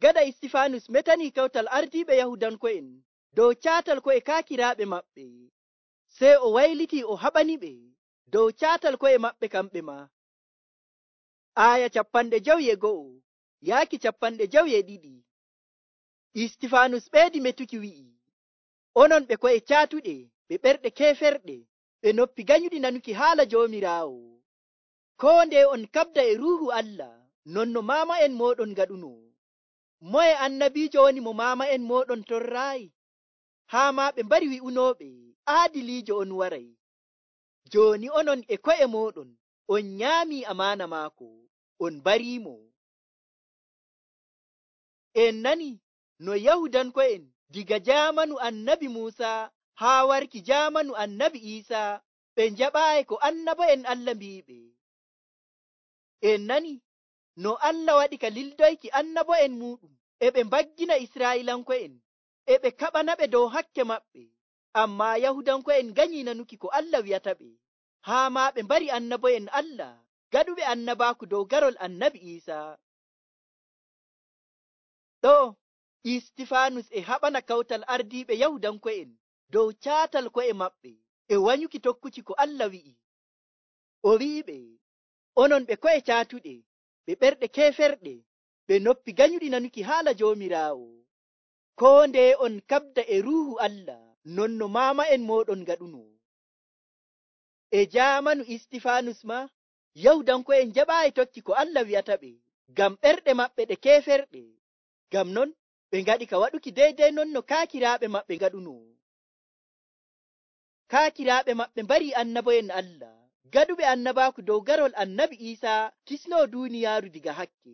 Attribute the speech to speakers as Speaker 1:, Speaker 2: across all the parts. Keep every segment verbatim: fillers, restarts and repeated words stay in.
Speaker 1: Gada Istifanus metanii kawtal ardiiɓe Yahudanko'en dow caatal ko'e kaakiraaɓe maɓɓe, sey o waylitii o haɓaniɓe dow caatal ko'e maɓɓe kamɓe maa. Aaya capanɗe jewi e go'o yaaki capanɗe jewi e ɗiɗi. Istifanus ɓeedi metuki wi'i, onon ɓe ko'e caatuɗe, ɓe ɓerɗe keeferɗe, ɓe noppi ganyuɗi nanuki haala Joomiraawo. Koo nde on kaɓda e Ruuhu Allah, non no maama'en mooɗon ngaɗuno. Moye annabiijo woni mo maama'en mooɗon torraayi? Haa maa ɓe mbari wi'unooɓe, aadiliijo on waray. Jooni onon e ko'e mooɗon, on nyaamii amaana maako, on bariimo. En nani no Yahudanko'en diga jaamanu annabi Muusa haa warki jaamanu annabi Iisaa ɓe njaɓaayi ko annabo'en Allah mbi'iɓe. En nani no Allah waɗi ka lildoyki annabo'en muuɗum e ɓe mbaggina Israa'iilanko'en e ɓe kaɓanaɓe dow hakke maɓɓe, ammaa Yahudanko'en nganyii nanuki ko Allah wi'ataɓe, haa maa ɓe mbari annabo'en Allah gaɗuɓe annabaaku dow garol annabi Iisaa. Ɗo Istifanus e haɓana kawtal ardiiɓe Yahudanko'en dow caatal ko'e maɓɓe e wanyuki tokkuki ko Allah wi'i. O wi'iɓe, onon ɓe ko'e caatuɗe, ɓe ɓerɗe keeferɗe, ɓe noppi ganyuɗi nanuki haala Joomiraawo. Koo nde on kaɓda e Ruuhu Allah, non no maama'en mooɗon ngaɗuno. E jaamanu Istifanus maa, Yahudanko'en njaɓaayi tokki ko Allah wi'ataɓe, ngam ɓerɗe maɓɓe ɗe keeferɗe. Ngam non ɓe ngaɗi ka waɗuki deydey non no kaakiraaɓe maɓɓe ngaɗuno. Kaakiraaɓe maɓɓe mbari annabo'en Allah, gaɗuɓe annabaaku dow garol annabi Iisaa kisnoo duuniyaaru diga hakke.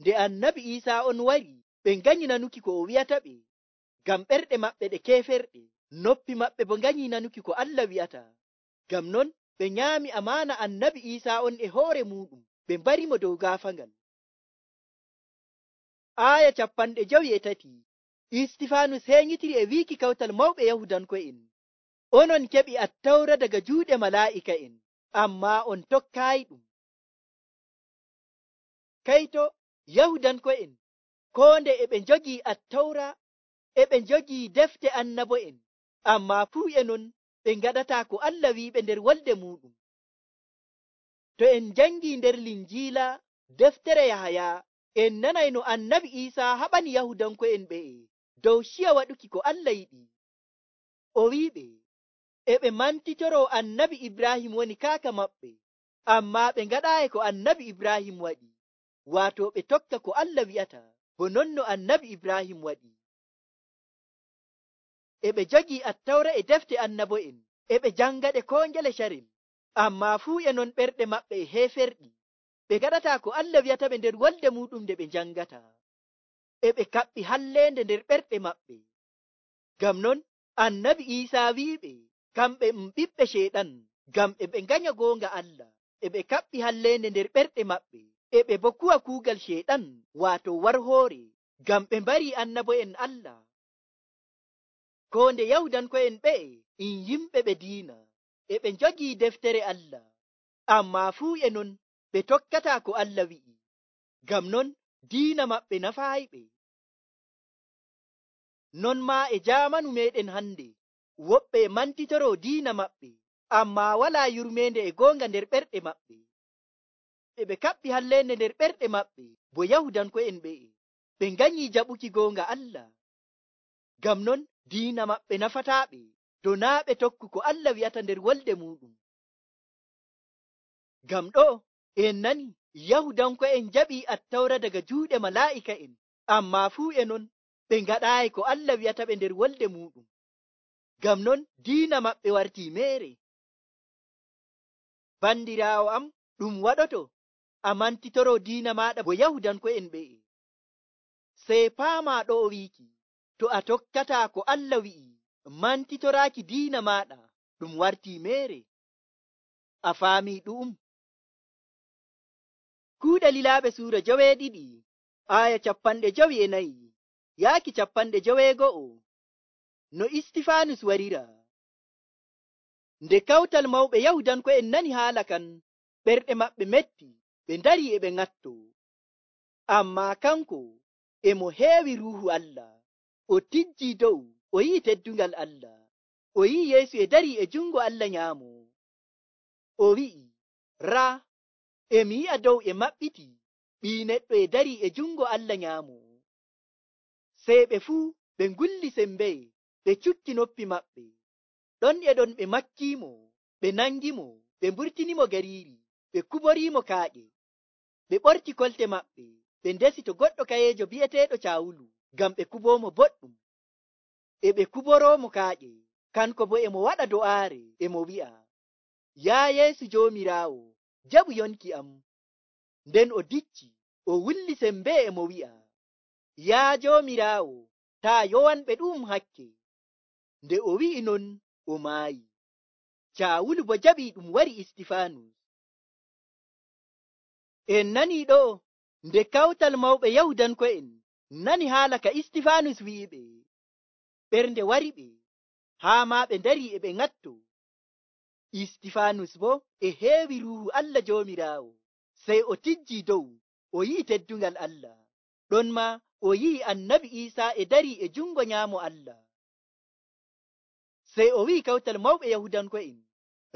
Speaker 1: Nde annabi Iisaa on wari, ɓe nganyi nanuki ko o wi'ataɓe, ngam ɓerɗe maɓɓe ɗe keeferɗe, noppi maɓɓe bo nganyi nanuki ko Allah wi'ata. Ngam non ɓe nyaami amaana annabi Iisaa on e hoore muɗum, ɓe mbarimo dow gaafangal. Aaya capanɗe jewi e tati. Istifanus heeŋitiri e wiiki kawtal mawɓe Yahudanko'en, onon keɓi attawra daga juuɗe malaa'ika'en, ammaa on tokkaayi ɗum. Kayto Yahudanko'en, koo nde e ɓe njogii attawra, e ɓe njogii defte annabo'en, ammaa fuu e non ɓe ngaɗataa ko Allah wi'iɓe nder wolde muɗum. To en njangii nder Linjiila deftere Yahaya, en nanay no annabi Iisaa haɓani Yahudanko'en ɓe'e dow ciya waɗuki ko Allah yiɗi. O wi'iɓe, e ɓe mantitoroo annabi Ibrahim woni kaaka maɓɓe, ammaa ɓe ngaɗaayi ko annabi Ibrahim waɗi, waato ɓe tokka ko Allah wi'ata, bo non no annabi Ibrahim waɗi. E ɓe jogii attawra e defte annabo'en, e ɓe jangaɗe koo ngele carel, ammaa fuu e non ɓerɗe maɓɓe e heeferɗi, ɓe gaɗataa ko Allah wi'ataɓe nder wolde muɗum nde ɓe njangata, e ɓe kaɓɓi halleende nder ɓerɗe maɓɓe. Ngam non annabi Iisaa wi'iɓe kamɓe um ɓiɓɓe Ceyɗan, ngam e ɓe nganya goonga Allah, e ɓe kaɓɓi halleende nder ɓerɗe maɓɓe, e ɓe bo kuwa kuugal Ceyɗan, waato warhoore, ngam ɓe mbarii annabo'en Allah. Koo nde Yahudanko'en ɓe'e in yimɓe ɓe diina, e ɓe njogii deftere Allah, ammaa fuu e non ɓe tokkataa ko Allah wi'i, ngam non diina maɓɓe nafaayiɓe. Non maa e jaamanu meeɗen hande, woɓɓe e mantitoroo diina maɓɓe, ammaa walaa yurmeende e goonga nder ɓerɗe maɓɓe. E ɓe kaɓɓi halleende nder ɓerɗe maɓɓe, bo Yahudanko'en ɓe'e, ɓe nganyii jaɓuki goonga Allah. Ngam non diina maɓɓe nafataaɓe, to naa ɓe tokku ko Allah wi'ata nder wolde muɗum. Ngam ɗo en nani Yahudanko'en jaɓii attawra daga juuɗe malaa'ika'en, ammaa fuu e non ɓe ngaɗaayi ko Allah wi'ataɓe nder wolde muɗum. Ngam non diina maɓɓe wartii meere. Bandiraawo am, ɗum waɗoto a mantitoroo diina maaɗa bo Yahudanko'en ɓe'e. Sey paamaa ɗo o wiiki, to a tokkataa ko Allah wi'i, mantitoraaki diina maaɗa ɗum wartii meere. A faamii ɗu'um? Kuuɗe Lilaaɓe suura joweeɗiɗi, aaya capanɗe jowi e nayi yaaki capanɗe joweego'o. No Istifanus warira. Nde kawtal mawɓe Yahudanko'en nani haala kan, ɓerɗe maɓɓe metti, ɓe ndari e ɓe ŋatto. Ammaa kanko e mo heewi ruuhu Allah. O tijjii dow, o yi'i teddungal Allah. O yi'i Yeesu e darii e jungo Allah nyaamo. O wi'i, raa, emi yi'a dow e maɓɓiti, Ɓii Neɗɗo e darii e jungo Allah nyaamo. Sey ɓe fuu ɓe ngulli sembee, ɓe cukki noppi maɓɓe. Ɗon e ɗon ɓe makkiimo, ɓe nangimo, ɓe mburtinimo gariiri, ɓe kuboriimo kaaƴe. Ɓe ɓorti kolte maɓɓe, ɓe ndesi to goɗɗo kayeejo bi'eteeɗo Caawulu, ngam ɓe kuboomo boɗɗum. E ɓe kuboroomo kaaƴe, kanko bo e mo waɗa do'aare, e mo wi'a, Yaa Yeesu Joomiraawo, jaɓu yonki am. Nden o dicci, o wulli sembee e mo wi'a, Yaa Joomiraawo, taa yowanɓe ɗu'um hakke. Nde o wi'i non, o maayi. Caawulu bo jaɓii ɗum wari Istifaanus. En nanii ɗo, nde kawtal mawɓe Yahudanko'en nani haala ka Istifaanus wi'iɓe, ɓernde wariɓe, haa maa ɓe ndarii e ɓe ŋatto. Istifaanus bo e heewi ruuhu Allah Joomiraawo, sey o tijjii dow, o yi'i teddungal Allah. Ɗon maa o yi'i Annabi Iisaa e darii e jungo nyaamo Allah. Sey o wi'i kawtal mawɓe Yahudanko'en,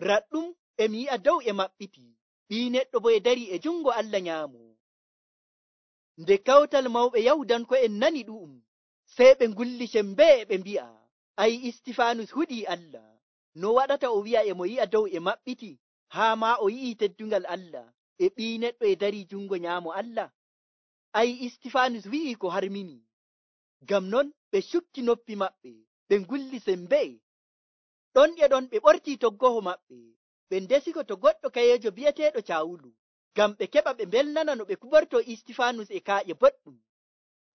Speaker 1: raɗɗum emi yi'a dow e maɓɓiti, Ɓii Neɗɗo bo e darii e jungo Allah nyaamo. Nde kawtal mawɓe Yahudanko'en nani ɗu'um, sey ɓe ngulli sembee ɓe mbi'a, ay Istifaanus huɗii Allah. No waɗata o wi'a e mo yi'a dow e maɓɓiti, haa maa o yi'i teddungal Allah, e Ɓii Neɗɗo e darii jungo nyaamo Allah? Ay Istifaanus wi'ii ko harmini. Ngam non ɓe cukki noppi maɓɓe, ɓe ngulli sembee. Ɗon e ɗon ɓe ɓortii toggoho maɓɓe, ɓe ndesiko to goɗɗo kayeejo bi'eteeɗo Caawulu, ngam ɓe keɓa ɓe mbelnana no ɓe kubortoo Istifaanus e kaaƴe boɗɗum.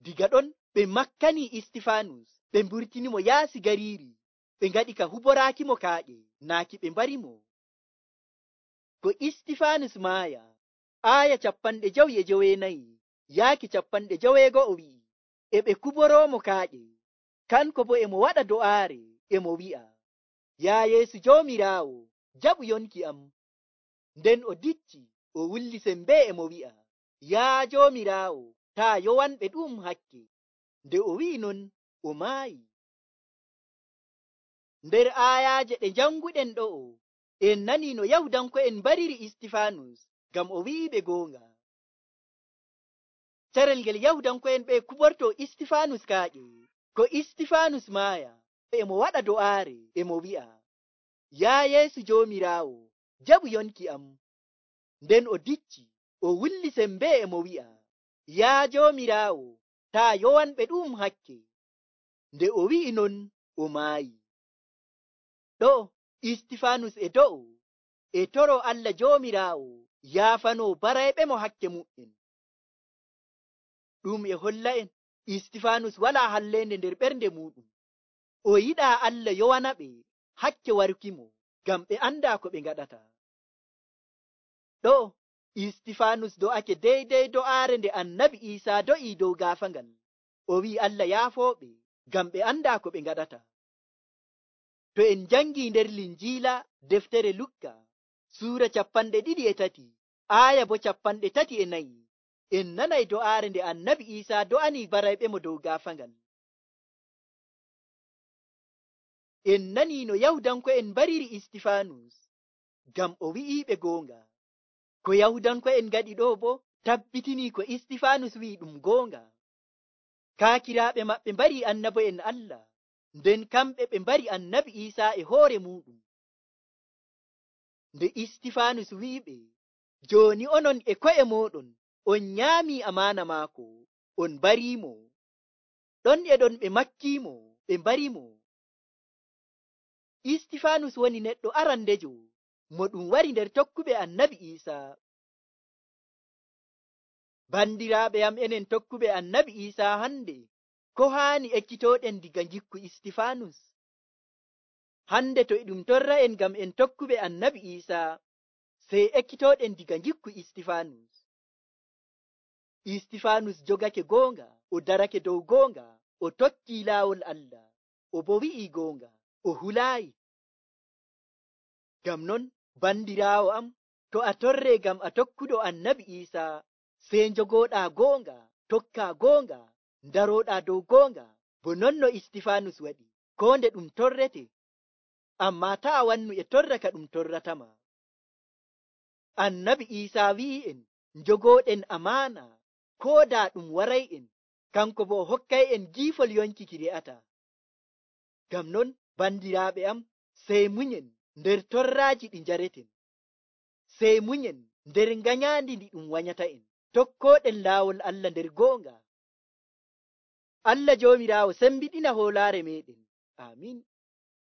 Speaker 1: Diga ɗon ɓe makkanii Istifaanus, ɓe mburtinimo yaasi gariiri, ɓe ngaɗi ka huboraakimo kaaƴe, naaki ɓe mbarimo. Ko Istifaanus maaya, aaya cappanɗe jowi e joweenayi, yaaki cappanɗe joweego'o wi'i, e ɓe kuboroomo kaaƴe, kanko bo e mo waɗa do'aare, e mo wi'a, Yaa Yeesu Joomiraawo, jaɓu yonki am. Nden o dicci, o wulli sembee e mo wi'a, Yaa Joomiraawo, taa yowanɓe ɗu'um hakke. Nde o wi'i non, o maayi. Nder aayaaje ɗe janguɗen ɗo'o, en nanii no Yahudanko'en mbariri Istifaanus, ngam o wi'iɓe goonga. Carel ngel Yahudanko'en ɓe kubortoo Istifaanus kaaƴe, ko Istifaanus maaya, e mo waɗa do'aare, e mo wi'a, Yaa Yeesu Joomiraawo, jaɓu yonki am. Nden o dicci, o wulli sembee e mo wi'a, Yaa Joomiraawo, taa yowanɓe ɗu'um hakke. Nde o wi'i non, o maayi. Ɗo Istifaanus e do'o, e toroo Allah Joomiraawo yaafanoo barayɓemo hakke mu'en. Ɗum e holla'en Istifaanus walaa halleende nder ɓernde muɗum. O yiɗaa Allah yowanaɓe hakke warkimo, ngam ɓe andaa ko ɓe ngaɗata. Ɗo Istifaanus do'ake deydey do'aare nde Annabi Iisaa do'ii dow gaafangal. O wi'i Allah yaafooɓe, ngam ɓe andaa ko ɓe ngaɗata. To en jangii nder Linjiila deftere Lukka, suura cappanɗe ɗiɗi e tati, aaya bo cappanɗe tati e nayi, en nanay do'aare nde Annabi Iisaa do'anii barayɓemo dow gaafangal. En nanii no Yahudanko'en mbariri Istifaanus, ngam o wi'iiɓe goonga. Ko Yahudanko'en ngaɗi ɗo bo tabbitinii ko Istifaanus wi'i ɗum goonga. Kaakiraaɓe maɓɓe mbarii annabo'en Allah, nden kamɓe ɓe mbari Annabi Iisaa e hoore muɗum. Nde Istifaanus wi'iɓe, jooni onon e ko'e mooɗon on nyaamii amaana maako, on mbariimo. Ɗon e ɗon ɓe makkiimo, ɓe mbarimo. Istifaanus woni neɗɗo arandejo mo ɗum wari nder tokkuɓe Annabi Iisaa. Bandiraaɓe am, enen tokkuɓe Annabi Iisaa hande, ko haani ekkitooɗen diga ngikku Istifaanus? Hande to e ɗum torra'en ngam en tokkuɓe Annabi Iisaa, sey ekkitooɗen diga ngikku Istifaanus. Istifaanus jogake goonga, o darake dow goonga, o tokkii laawol Allah, o bo wi'ii goonga, o hulaayi. Ngam non, bandiraawo am, to a torree ngam a tokkuɗo Annabi Iisaa, sey njogooɗaa goonga, tokkaa goonga, ndaroɗaa dow goonga bo non no istifanus waɗi koo nde ɗum torrete, ammaa taa wannu e torra ka ɗum torratama. Annabi Iisaa wi'i'en njogooɗen amaana koo daa ɗum waray'en, kanko boo hokkay'en giifol yonki ki re'ataa. Ngam non bandiraaɓe am, sey munyen nder torraaji ɗi njareten, sey munyen nder nganyaandi ndi ɗum wanyata'en, tokkooɗen laawol Allah nder goonga. Allah Joomiraawo sembiɗina hoolaare meeɗen. Aamin.